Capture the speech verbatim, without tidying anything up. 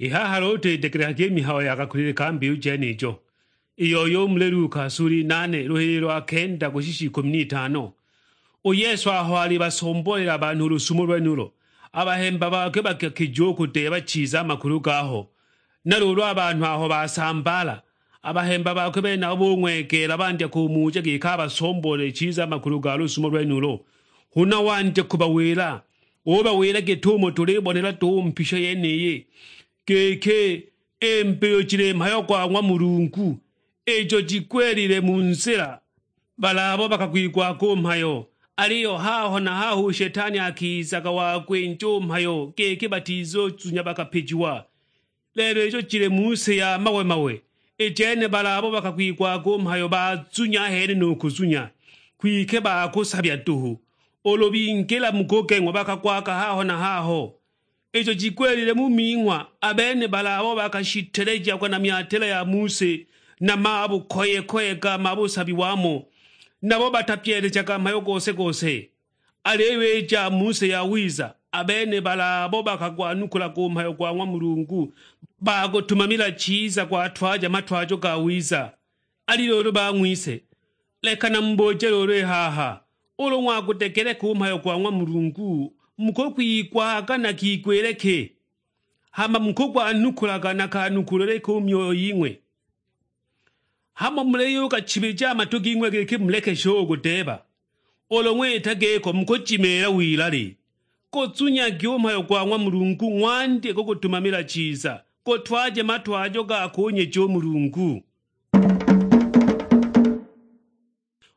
I haha luulu twidegelekage i mihayo ya kakulile ka mbiyu jenijo, i yoyo u muli Luka suli nane luhililo lwa kenda kushisha ikumi n'itano. U Yesu aho alibasomboolela a banhu u lusumo lwenulo, a bahemba bakwe bakakija u kudeeba chiza a makulu gaho. Na luulu a banhu aho basambaala, a bahemba bakwe benabo bung'wegeela bandya kumuja giki abasomboolele chiza a makulu ga lusumo lwenulo. Huna wandya kubawila, ubawila git'umo tulibonela duhu mpisho yeniyi, giki, i mbiyu jili mhayo gwa ng'wa Mulungu, ijo jigwilile mu nzila. Bali abo bakagwigwaga u mhayo, aliyo haho na haho u Shetani akizaga wakwinja u mhayo giki batizuzunya bakapijiwa. Lelo ijo jili mu si ya mawe-mawe, i jene bali abo bakagwigwaga u mhayo bazunya ahene nu kuzunya, kwike bakusabya duhu. Ulu bingila mu kugeng'wa bakagwaga haho na haho. Ijo jigwilile mu ming'wa, a bene bali abo bakashitelejiagwa na myatila ya mu si, na mabukoye-koye ga mabusabi wamo, nabo batapyelejaga mhayo gose-gose. Aliyo i ja mu si yawiza, a bene bali abo bakagwanukulaga u mhayo gwa ng'wa Mulungu, bagutumamila chiza gwatwaja matwajo ga wiza. Ali luulu bang'wise, leka namubuje luulu i haha, ulu ng'wagudegeleka u mhayo gwa ng'wa Mulungu, mukugwigwaga na kigwile ki? Hama mukugwanukulaga na kanukulile ki u myoyo ying'we? Hamo muliyugachibija a matu ging'we giki mulekeshe u kudeeba? Ulu ng'wita giko mukujimiila wilali. Guzunyagi u mhayo gwa ng'wa Mulungu, ng'wandye kugutumamila chiza, gutwaje matwajo ga kunyeja u Mulungu.